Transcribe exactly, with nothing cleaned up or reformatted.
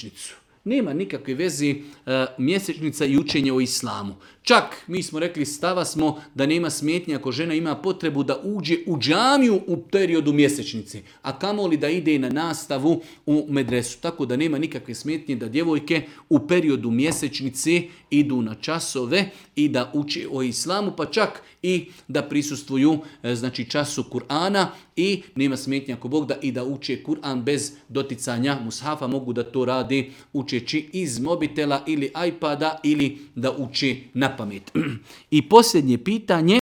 mjesečnicu. Nema nikakve veze uh, mjesečnica i učenje o islamu. Čak, mi smo rekli, stava smo da nema smetnje ako žena ima potrebu da uđe u džamiju u periodu mjesečnice, a kamoli da ide na nastavu u medresu. Tako da nema nikakve smetnje da djevojke u periodu mjesečnice idu na časove i da uče o islamu, pa čak i da prisustvuju znači, času Kur'ana i nema smetnje ako Bog da i da uče Kur'an bez doticanja mushafa. Mogu da to radi učeći iz mobitela ili iPada ili da uče na pamet. I posljednje pitanje.